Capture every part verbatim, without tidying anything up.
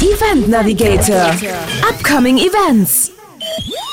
Event Navigator, Upcoming Events.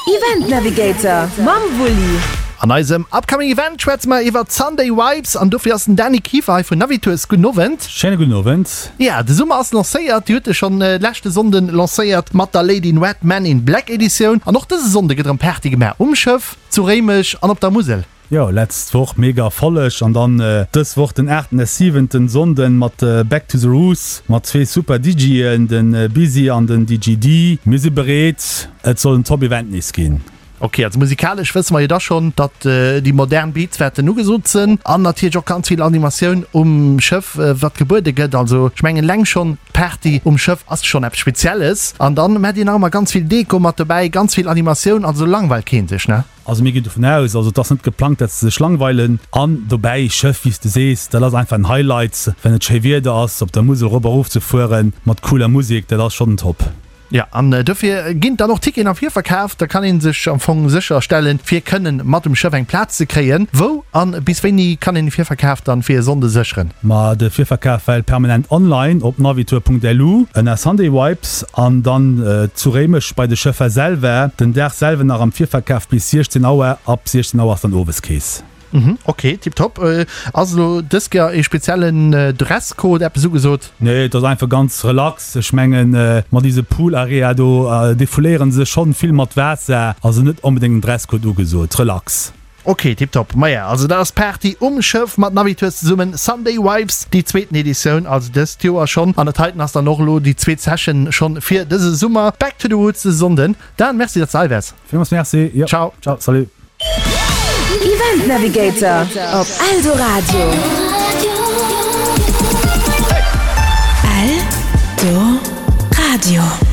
Event Navigator mam Wulli. An eisem Upcoming Event schwätze mer iwwert d'Sunday Vibes an dofir ass den Dany Kieffer hei vun Navitours. Gudden Owend. Schéine gudden Owend. Ja, de Summer ass lancéiert. Dir hutt e schonn leschte Sonnden lancéiert mat der Lady in Red, Man in Black Editioun. An och dëse Sonnde gëtt erëm Party gemaach um Schëff, zu Réimech an op der Musel. Jo, letzt Woch mega Erfolleg an dann dës Woch den aachten a siwenten Sonnden mat Back to the Roots mat zwee super DJen, den Busy an den D J D. Mir si bereet, et soll en top Event nees ginn. Ok, also musikalesch wësse mer jo da schonn, datt déi modern Beats wäerten ugesot sënn an natierlech och ganz vill Animatioun um Schëff wat gebuede gëtt. Also ech mengen eleng schonn d'Party um Schëff ass schonn eppes Spezielles an dann maacht dir nach ëmmer ganz vill Deko mat dobäi, ganz vill Animatioun, also langweilt keen sech, ne? Also mir ginn dovun aus, also et ass net geplangt, dat se sech langweilen. An dobäi, Schëff, wéi s de sees, dat ass einfach en Highlight, wann et schéi Wieder ass, op der Musel erop a erof ze fueren mat cooler Musek, dat ass schonn top. Jo, an dofir ginn dann och Ticketen am Virverkaf. Da kann ee sech am Fong sécher stellen, fir kënnen mat um Schëff eng Plaz ze kréien. Wou an bis wéini kann een de Virverkaf dann fir e Sonnde sécheren? Ma de Virverkaf well permanent online op navitour Punkt L U ënner Sunday Vibes an dann zu Réimech bei de Schëffer selwer den Dag selwer nach am Virverkaf bis siechzehn Auer. Ab siechzehn Auer ass dann Oweskeess. Mhm, ok, tiptop. Ass elo dës Kéier ee speziellen Dresscode eppes ugesot? Nee, et ass einfach ganz relax. Ech mengen, mat dise Pool Area do defouléieren se schonn vill mat Waasser. Also net onbedéngt en Dresscode ugesot, relax. Ok, tiptop. Maja, also dat ass d'Party um Schëff mat Navitours zesummen, Sunday Vibes, déi zweeten Editioun, also dëst Joer schonn. An dat heiten ass dann och elo déi zweet Session schonn fir dëse Summer. Back to the Roots dëse Sonnden. Dan, merci, datt s de hei waars. Villmools merci. Jo. Ciao. Ciao, salut. Event Navigator op Eldoradio. Eldoradio.